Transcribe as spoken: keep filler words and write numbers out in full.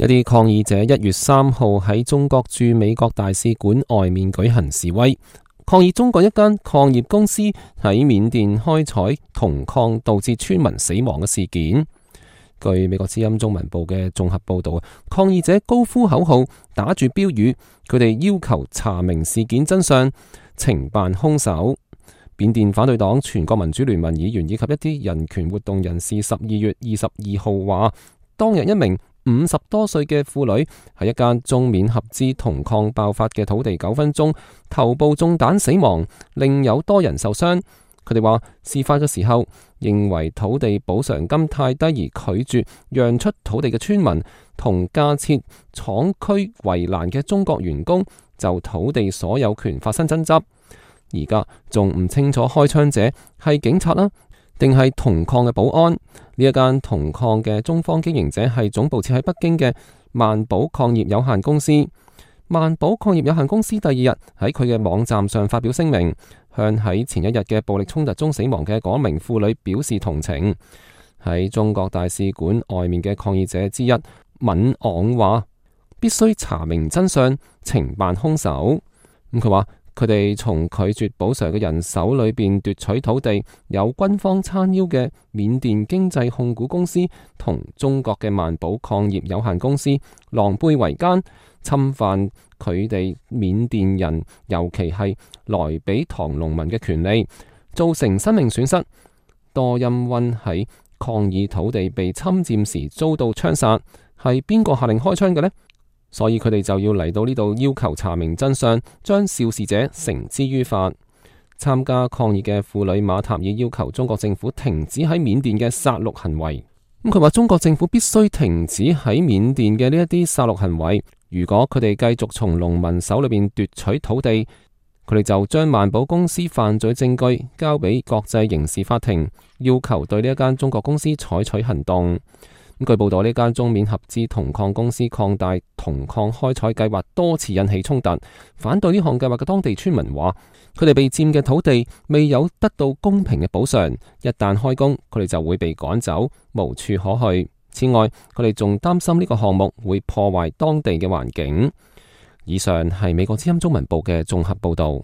一啲抗議者一月三號喺中國駐美國大使館外面舉行示威，抗議中國一間礦業公司喺緬甸開採銅礦導致村民死亡嘅事件。據美國之音中文部嘅綜合報道，抗議者高呼口號，打住標語，佢哋要求查明事件真相，懲辦兇手。緬甸反對黨全國民主聯盟議員以及一啲人權活動人士十二月二十二號話，當日一名五十多歲嘅婦女喺一間中緬合資銅礦爆發嘅土地糾紛中頭部中彈死亡，另有多人受傷。佢哋話事發嘅時候認為土地補償金太低而拒絕讓出土地嘅村民同架設廠區圍欄嘅中國員工就土地所有權發生爭執。而家仲唔清楚開槍者係警察啦，定係銅礦嘅保安。呢一間銅礦嘅中方經營者係總部設喺北京嘅萬寶礦業有限公司。萬寶礦業有限公司第二日喺佢嘅網站上發表聲明，向喺前一日嘅暴力衝突中死亡嘅嗰名婦女表示同情。喺中國大使館外面嘅抗議者之一敏昂話，必須查明真相，懲辦兇手。咁佢話，佢哋從拒絕補償嘅人手裏邊奪取土地，有軍方撐腰嘅緬甸經濟控股公司同中國嘅萬寶礦業有限公司狼狽為奸，侵犯佢哋緬甸人，尤其係萊比塘農民嘅權利，造成生命損失。多欽溫喺抗議土地被侵佔時遭到槍殺，係邊個下令開槍嘅呢？所以佢哋就要嚟到呢度要求查明真相，將肇事者繩之於法。參加抗議嘅婦女馬塔爾要求中國政府停止喺緬甸嘅殺戮行為。咁佢話中國政府必須停止喺緬甸嘅呢一啲殺戮行為。如果佢哋繼續從農民手裏邊奪取土地，佢哋就將萬寶公司犯罪證據交俾國際刑事法庭，要求對呢一間中國公司採取行動。據報道，呢間中緬合資銅礦公司擴大銅礦開採計劃多次引起衝突。反對呢項計劃嘅當地村民話，佢哋被佔嘅土地未有得到公平嘅補償，一旦開工，佢哋就會被趕走，無處可去。此外，佢哋仲擔心呢個項目會破壞當地嘅環境。以上係美國之音中文部嘅綜合報道。